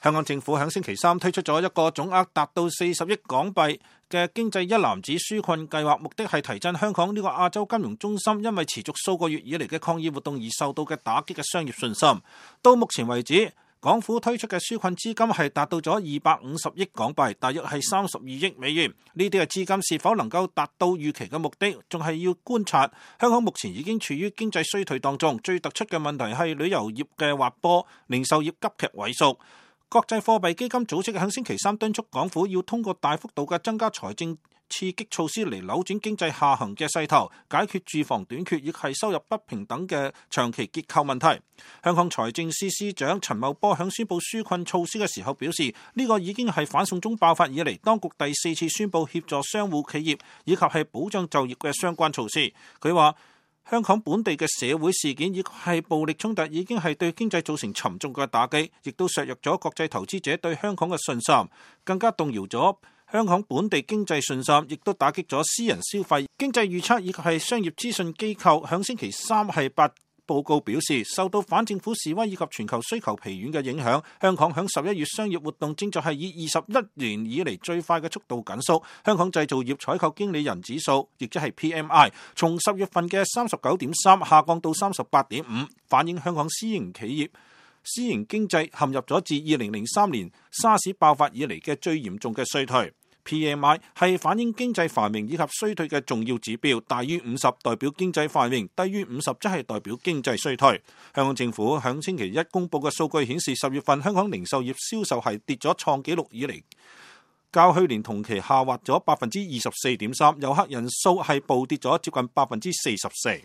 香港政府喺星期三推出咗一個總額達到40億港幣嘅經濟一籃子紓困計劃，目的係提振香港呢個亞洲金融中心因為持續數個月以嚟嘅抗議活動而受到嘅打擊嘅商業信心。到目前為止，港府推出嘅紓困資金係達到咗250億港幣，大約係32億美元。呢啲嘅資金是否能夠達到預期嘅目的，仲係要觀察。香港目前已經處於經濟衰退當中，最突出嘅問題係旅遊業嘅滑坡，零售業急劇萎縮。國際貨幣基金組織喺星期三敦促港府要通過大幅度嘅增加財政刺激措施嚟扭轉經濟下行嘅勢頭，解決住房短缺亦係收入不平等嘅長期結構問題。香港財政司司長陳茂波喺宣布紓困措施嘅時候表示，呢個已經係反送中爆發以嚟當局第4次宣布協助商戶企業以及係保障就業嘅相關措施。佢話，香港本地嘅社會事件以及係暴力衝突已經係對經濟造成沉重嘅打擊，亦都削弱咗國際投資者對香港嘅信心，更加動搖咗香港本地經濟信心，亦都打擊咗私人消費。經濟預測以及係商業資訊機構響星期三係報告表示，受到反政府示威以及全球需求疲軟嘅影響，香港響11月商業活動正在係以21年以嚟最快嘅速度緊縮。香港製造業採購經理人指數，亦即係 PMI， 從10月份嘅39.3下降到38.5，反映香港私營經濟陷入咗自2003年沙士爆發以嚟嘅最嚴重嘅衰退。PMI 係反映經濟繁榮以及衰退嘅重要指標，大於50代表經濟繁榮，低於50則係代表經濟衰退。香港政府響星期一公佈嘅數據顯示，10月份香港零售業銷售係跌咗創紀錄以嚟，較去年同期下滑咗24.3%，遊客人數係暴跌咗接近44%。